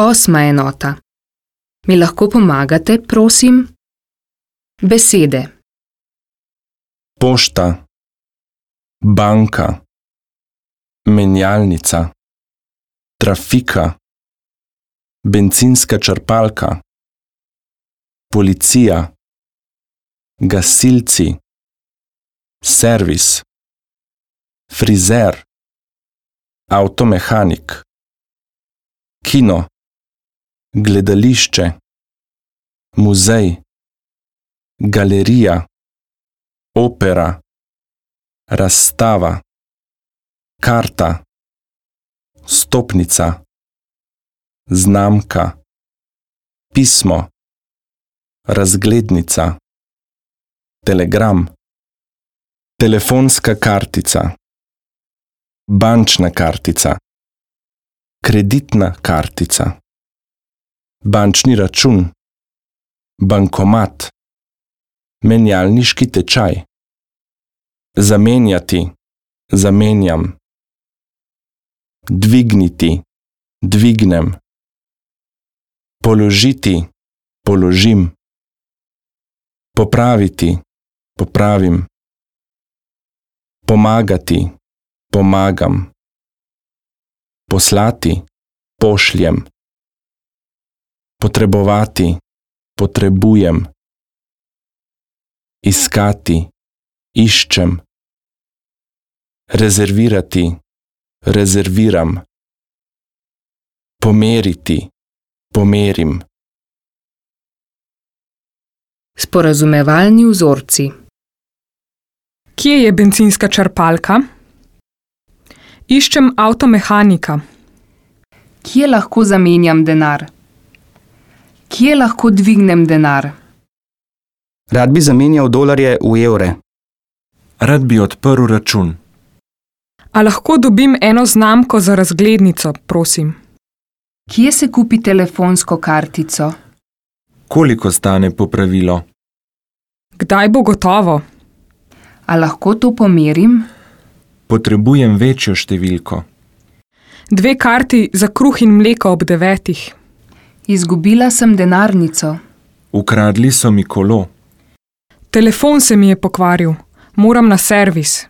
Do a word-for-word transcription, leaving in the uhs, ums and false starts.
Osma enota. Mi lahko pomagate, prosim? Besede. Pošta, banka, menjalnica, trafika, bencinska črpalka, policija, gasilci, servis, frizer, avtomehanik, kino, gledališče, muzej, galerija, opera, razstava, karta, stopnica, znamka, pismo, razglednica, telegram, telefonska kartica, bančna kartica, kreditna kartica, bančni račun, bankomat, menjalniški tečaj, zamenjati, zamenjam, dvigniti, dvignem, položiti, položim, popraviti, popravim, pomagati, pomagam, poslati, pošljem, potrebovati, potrebujem, iskati, iščem, rezervirati, rezerviram, pomeriti, pomerim. Sporazumevalni vzorci. Kje je bencinska črpalka? Iščem avtomehanika. Kje lahko zamenjam denar? Kje lahko dvignem denar? Rad bi zamenjal dolarje v evre. Rad bi odprl račun. A lahko dobim eno znamko za razglednico, prosim? Kje se kupi telefonsko kartico? Koliko stane popravilo? Kdaj bo gotovo? A lahko to pomerim? Potrebujem večjo številko. Dve karti za kruh in mleko ob devetih. Izgubila sem denarnico. Ukradli so mi kolo. Telefon se mi je pokvaril. Moram na servis.